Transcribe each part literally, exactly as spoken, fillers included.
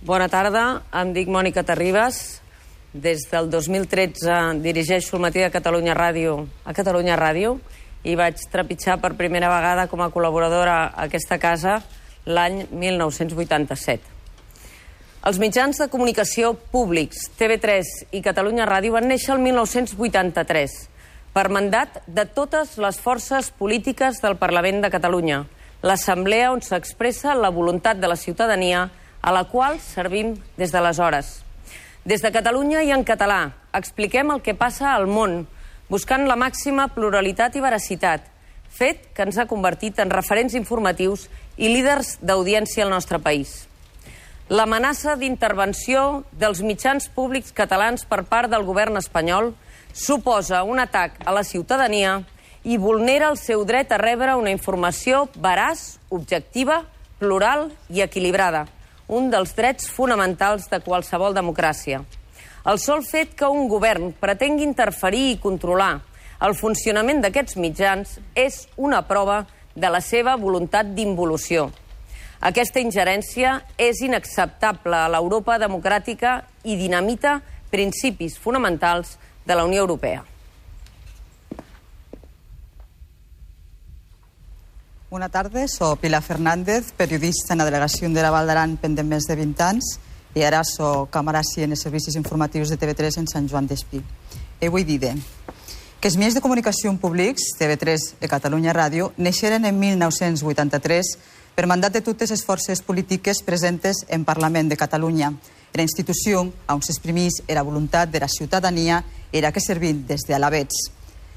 Bona tarda, em dic Mònica Terribas. Des del dos mil tretze dirigeixo el Matí de Catalunya Ràdio a Catalunya Ràdio i vaig trepitjar per primera vegada com a col·laboradora a aquesta casa l'any mil nou-cents vuitanta-set. Els mitjans de comunicació públics, T V tres i Catalunya Ràdio, van néixer el mil nou-cents vuitanta-tres per mandat de totes les forces polítiques del Parlament de Catalunya, l'assemblea on s'expressa la voluntat de la ciutadania a la qual servim des d'aleshores. Des de Catalunya i en català expliquem el que passa al món, buscant la màxima pluralitat i veracitat, fet que ens ha convertit en referents informatius i líders d'audiència al nostre país. L'amenaça d'intervenció dels mitjans públics catalans per part del govern espanyol suposa un atac a la ciutadania i vulnera el seu dret a rebre una informació veraç, objectiva, plural i equilibrada, un dels drets fonamentals de qualsevol democràcia. El sol fet que un govern pretengui interferir i controlar el funcionament d'aquests mitjans és una prova de la seva voluntat d'involució. Aquesta ingerència és inacceptable a l'Europa democràtica i dinamita principis fonamentals de la Unió Europea. Bona tarda, soc Pilar Fernández, periodista en la delegació de la Val d'Aran pendent més de vint anys i ara soc càmera-si en els servicis informatius de T V tres en Sant Joan d'Espí. I vull dir que els mitjans de comunicació públics, T V tres i Catalunya Ràdio, neixeren en mil nou-cents vuitanta-tres per mandat de totes les forces polítiques presentes en Parlament de Catalunya. Era institució on s'exprimís la voluntat de la ciutadania era que servim des d'alabets.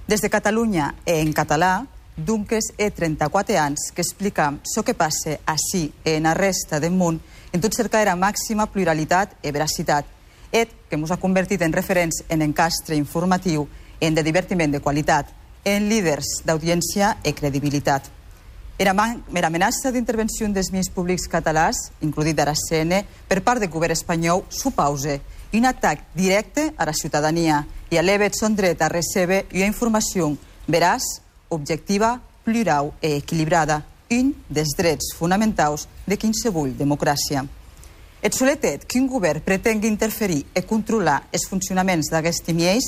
Des de Catalunya i en català, Dunques he trenta-quatre anys que explica el que passa així i en la resta del món en tot cercar la màxima pluralitat i veracitat, et que ens ha convertit en referents en encastre informatiu, en de divertiment de qualitat, en líders d'audiència i credibilitat. Era amenaça d'intervenció dels mitjans públics catalans, inclosit ara C N, per part del govern espanyol, supausa un atac directe a la ciutadania i eleva el son dret a recebre una informació veraç, objectiva, plural i equilibrada, un dels drets fonamentals de qualsevol democràcia. El solet fet que un govern pretengui interferir i controlar els funcionaments d'aquests mitjans,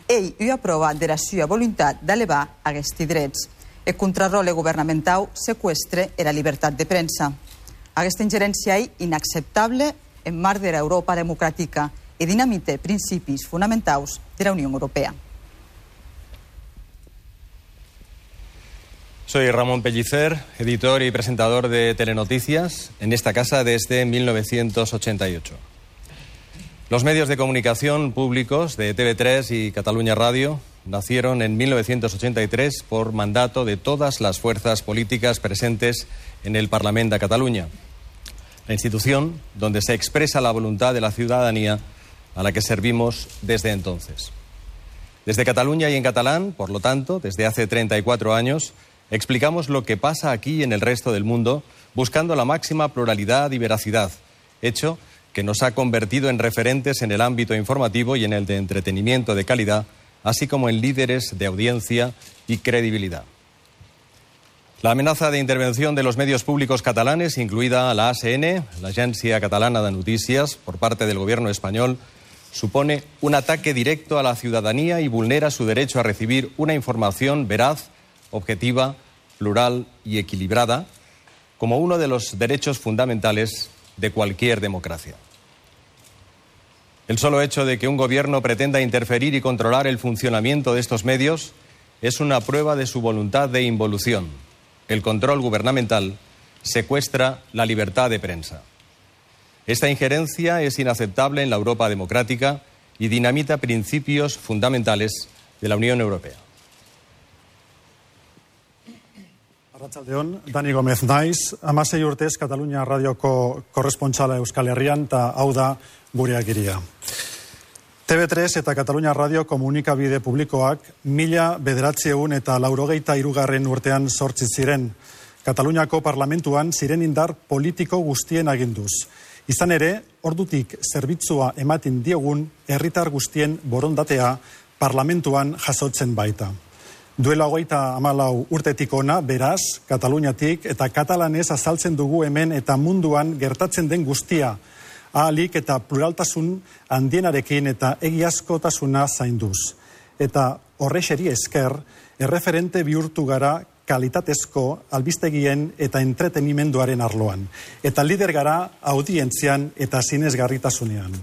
ell ho aprova de la seva voluntat d'elevar aquests drets. El contrarrole governamental seqüestra la llibertat de premsa. Aquesta ingerència és inacceptable en marc de l'Europa democràtica i dinamita principis fonamentals de la Unió Europea. Soy Ramón Pellicer, editor y presentador de Telenoticias en esta casa desde mil novecientos ochenta y ocho. Los medios de comunicación públicos de T V tres y Catalunya Ràdio nacieron en mil novecientos ochenta y tres por mandato de todas las fuerzas políticas presentes en el Parlamento de Cataluña, la institución donde se expresa la voluntad de la ciudadanía a la que servimos desde entonces. Desde Cataluña y en catalán, por lo tanto, desde hace treinta y cuatro años, explicamos lo que pasa aquí y en el resto del mundo, buscando la máxima pluralidad y veracidad, hecho que nos ha convertido en referentes en el ámbito informativo y en el de entretenimiento de calidad, así como en líderes de audiencia y credibilidad. La amenaza de intervención de los medios públicos catalanes, incluida la A C N, la Agencia Catalana de Noticias, por parte del gobierno español, supone un ataque directo a la ciudadanía y vulnera su derecho a recibir una información veraz, objetiva, plural y equilibrada, como uno de los derechos fundamentales de cualquier democracia. El solo hecho de que un gobierno pretenda interferir y controlar el funcionamiento de estos medios es una prueba de su voluntad de involución. El control gubernamental secuestra la libertad de prensa. Esta injerencia es inaceptable en la Europa democrática y dinamita principios fundamentales de la Unión Europea. Arratsaldeon, Dani Gómez naiz, hamasei urtez Catalunya Radioko korrespontsala Euskal Herrian, eta hau da gure agiria. T V tres eta Catalunya Radio komunikabide publikoak mila bederatziehun eta laurogeita hirugarren urtean sortzi ziren. Kataluniako parlamentuan ziren indar politiko guztien aginduz. Izan ere, ordutik zerbitzua ematen diegun herritar guztien borondatea parlamentuan jasotzen baita. Duela hogeita hamalau urtetik ona, beraz, Kataluniatik eta katalanez azaltzen dugu hemen eta munduan gertatzen den guztia. ahalik eta pluraltasun handienarekin eta egiazkotasuna zainduz. Eta horrexeri esker, erreferente bihurtu gara kalitatezko albistegien eta entretenimenduaren arloan. Eta lider gara audientzian eta sinesgarritasunean.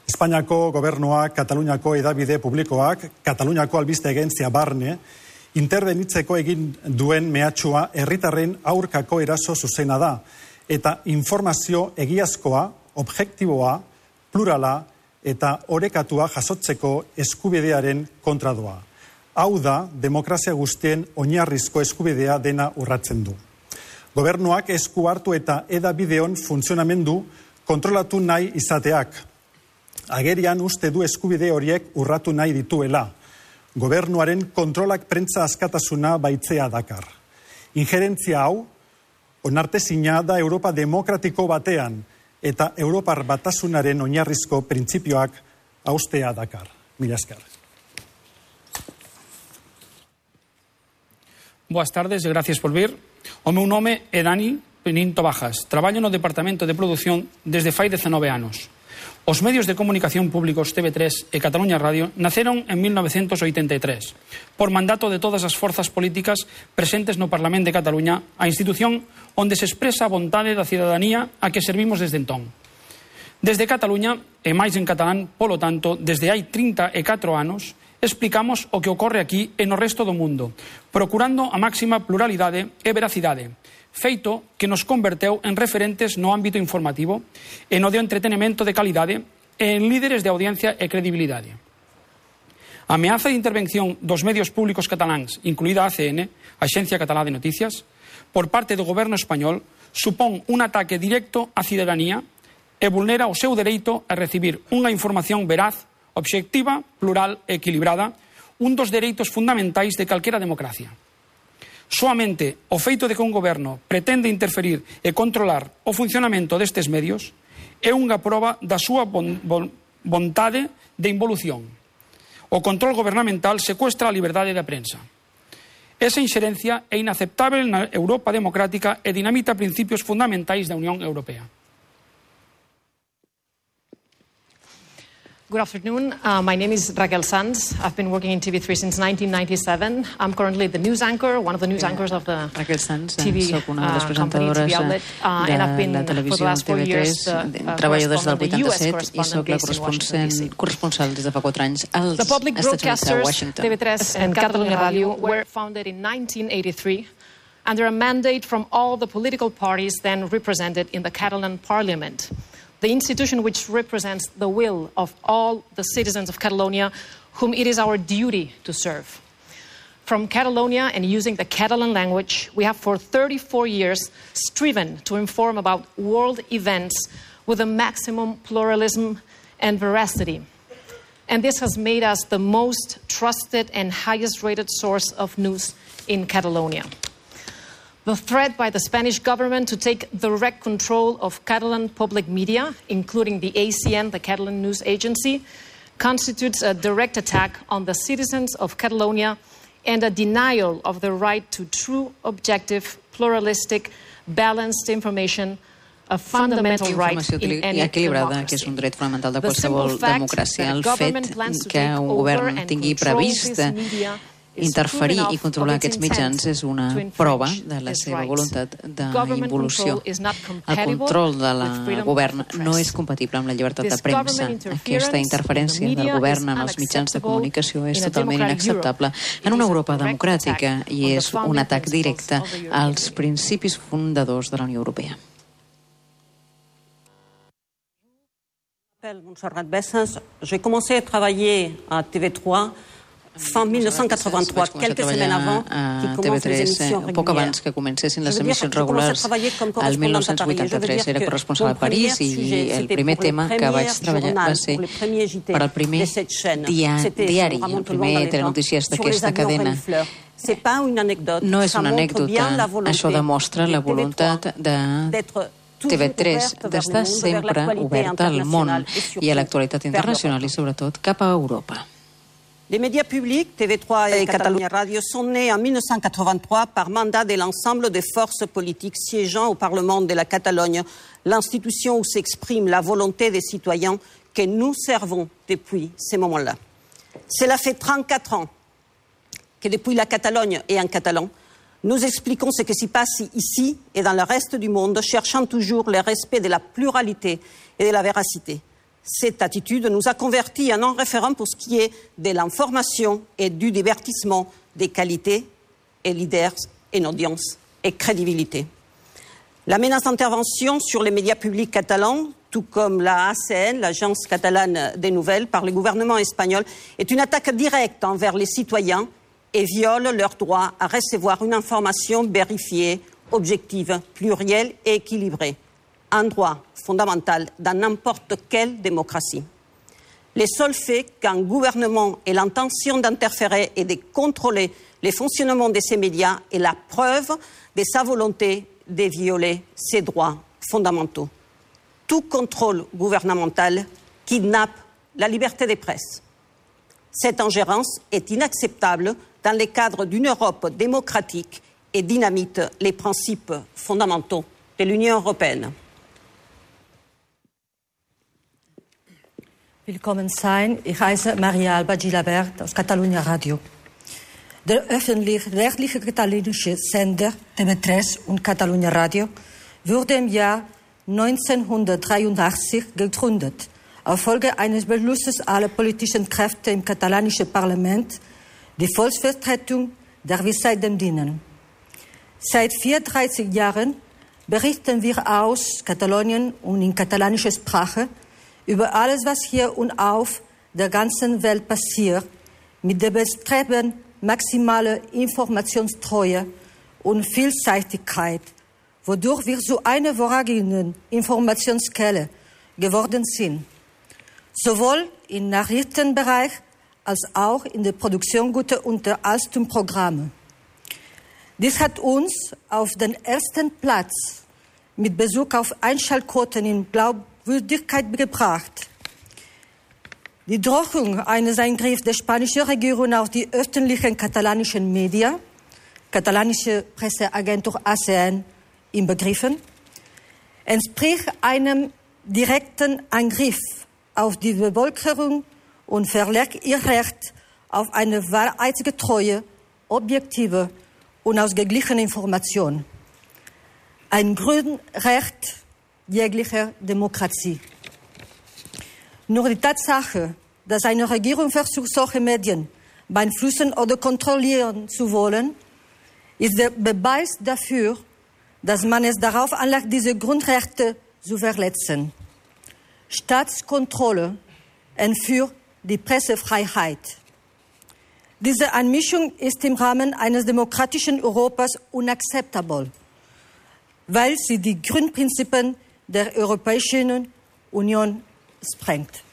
Espainiako gobernuak, Kataluniako edabide publikoak, Kataluniako albiste agentzia barne, interbenitzeko egin duen mehatxua herritarren aurkako eraso zuzena da, eta informazio egiazkoa, objektiboa, plurala eta orekatua jasotzeko eskubidearen kontradoa. Hau da, demokrazia guztien oinarrizko eskubidea dena urratzen du. Gobernuak esku hartu eta edabideon funtzionamendu kontrolatu nahi izateak. Agerian uste du eskubide horiek urratu nahi dituela. Gobernuaren kontrolak prentza askatasuna baitzea dakar. Injerentzia hau, onartezina da Europa demokratiko batean eta Europar batasunaren oinarrizko printzipioak haustea dakar. Mila esker. Boas tardes e gracias por vir. O meu nome é Dani Peninto Bajas. Traballo no Departamento de Produción desde fai dezanove anos. Os medios de comunicación públicos T V tres e Cataluña Radio naceron en mil novecentos oitenta e tres por mandato de todas as forzas políticas presentes no Parlamento de Cataluña, a institución onde se expresa a vontade da cidadanía a que servimos desde entón. Desde Cataluña, e máis en catalán, polo tanto, desde hai trinta e catro anos, explicamos o que ocorre aquí e no resto do mundo, procurando a máxima pluralidade e veracidade, feito que nos converteu en referentes no ámbito informativo e no de entretenimento de calidade e en líderes de audiencia e credibilidade. A ameaza de intervención dos medios públicos cataláns, incluída a A C N, a Axencia Catalá de Noticias, por parte do goberno español, supón un ataque directo á cidadanía e vulnera o seu dereito a recibir unha información veraz, obxectiva, plural e equilibrada, un dos dereitos fundamentais de calquera democracia. Soamente o feito de que un goberno pretende interferir e controlar o funcionamento destes medios é unha proba da súa bon, bon, vontade de involución. O control gobernamental secuestra a liberdade da prensa. Esa inxerencia é inaceptável na Europa democrática e dinamita principios fundamentais da Unión Europea. Good afternoon. Uh, my name is Raquel Sanz. I've been working in T V three since nineteen ninety-seven. I'm currently the news anchor, one of the news anchors of the Raquel Sanz, T V soc una de les uh, company, presentadores T V outlet, uh, de and I've been la televisió T V tres. Uh, treballo des del vuitanta-set i soc la corresponsal, corresponsal des de fa quatre anys als The public Estats Units, a broadcasters, Washington. T V tres and Catalunya Radio, were founded in nineteen eighty-three under a mandate from all the political parties then represented in the Catalan Parliament, the institution which represents the will of all the citizens of Catalonia, whom it is our duty to serve. From Catalonia and using the Catalan language, we have for thirty-four years striven to inform about world events with a maximum pluralism and veracity. And this has made us the most trusted and highest rated source of news in Catalonia. The threat by the Spanish government to take direct control of Catalan public media, including the A C N, the Catalan news agency, constitutes a direct attack on the citizens of Catalonia and a denial of the right to true, objective, pluralistic, balanced information, a fundamental right in any equilibrada, que és un dret fonamental de qualsevol democràcia. El fet que un govern tingui previst interferir i controlar aquests mitjans és una prova de la seva voluntat d'involució. El control del govern no és compatible amb la llibertat de premsa. Aquesta interferència del govern en els mitjans de comunicació és totalment inacceptable en una Europa democràtica i és un atac directe als principis fundadors de la Unió Europea. Montserrat Bessas, j'ai commencé à travailler à T V trois fin mil nou-cents quatre-vingt-trois, quelques semaines avant qui commencent les émissions régulières. Poc abans que comencessin les emissions regulars, el mil nou-cents vuitanta-tres era corresponsal a París i el primer tema que vaig treballar va ser per al primer diari, el primer telenotícies d'aquesta cadena. No és una anècdota, això demostra la voluntat de T V tres d'estar sempre oberta al món i a l'actualitat internacional i sobretot cap a Europa. Les médias publics, T V trois et Catalunya Radio, sont nés en mille neuf cent quatre-vingt-trois par mandat de l'ensemble des forces politiques siégeant au Parlement de la Catalogne, l'institution où s'exprime la volonté des citoyens que nous servons depuis ces moments-là. Cela fait trente-quatre ans que depuis la Catalogne et en catalan, nous expliquons ce qui s'y passe ici et dans le reste du monde, cherchant toujours le respect de la pluralité et de la véracité. Cette attitude nous a convertis en un référent pour ce qui est de l'information et du divertissement, des qualités et leaders, et audience et crédibilité. La menace d'intervention sur les médias publics catalans, tout comme la A C N, l'Agence catalane des nouvelles, par le gouvernement espagnol, est une attaque directe envers les citoyens et viole leur droit à recevoir une information vérifiée, objective, plurielle et équilibrée. Un droit fondamental dans n'importe quelle démocratie. Le seul fait qu'un gouvernement ait l'intention d'interférer et de contrôler le fonctionnement de ces médias est la preuve de sa volonté de violer ses droits fondamentaux. Tout contrôle gouvernemental kidnappe la liberté de presse. Cette ingérence est inacceptable dans le cadre d'une Europe démocratique et dynamite les principes fondamentaux de l'Union européenne. Willkommen sein. Ich heiße Maria Alba Gilabert aus Catalunya Radio. Der öffentlich-rechtliche katalanische Sender T V drei und Catalunya Radio wurde im Jahr neunzehnhundertdreiundachtzig gegründet, auf Folge eines Beschlusses aller politischen Kräfte im katalanischen Parlament, die Volksvertretung, der wir seitdem dienen. Seit vierunddreißig Jahren berichten wir aus Katalonien und in katalanischer Sprache über alles, was hier und auf der ganzen Welt passiert, mit dem Bestreben maximale Informationstreue und Vielseitigkeit, wodurch wir zu einer vorrangige Informationsquelle geworden sind, sowohl im Nachrichtenbereich als auch in der Produktion guter Unterhaltungsprogramme. Dies hat uns auf den ersten Platz mit Bezug auf Einschaltquoten in Glaubwürdigkeit gebracht. Die Drohung eines Eingriffs der spanischen Regierung auf die öffentlichen katalanischen Medien, katalanische Presseagentur A C N inbegriffen, entspricht einem direkten Angriff auf die Bevölkerung und verletzt ihr Recht auf eine wahrheitsgetreue, objektive und ausgeglichene Information. Ein Grundrecht jeglicher Demokratie. Nur die Tatsache, dass eine Regierung versucht, solche Medien beeinflussen oder kontrollieren zu wollen, ist der Beweis dafür, dass man es darauf anlegt, diese Grundrechte zu verletzen. Staatskontrolle entführt die Pressefreiheit. Diese Einmischung ist im Rahmen eines demokratischen Europas unakzeptabel, weil sie die Grundprinzipien der Europäischen Union sprengt.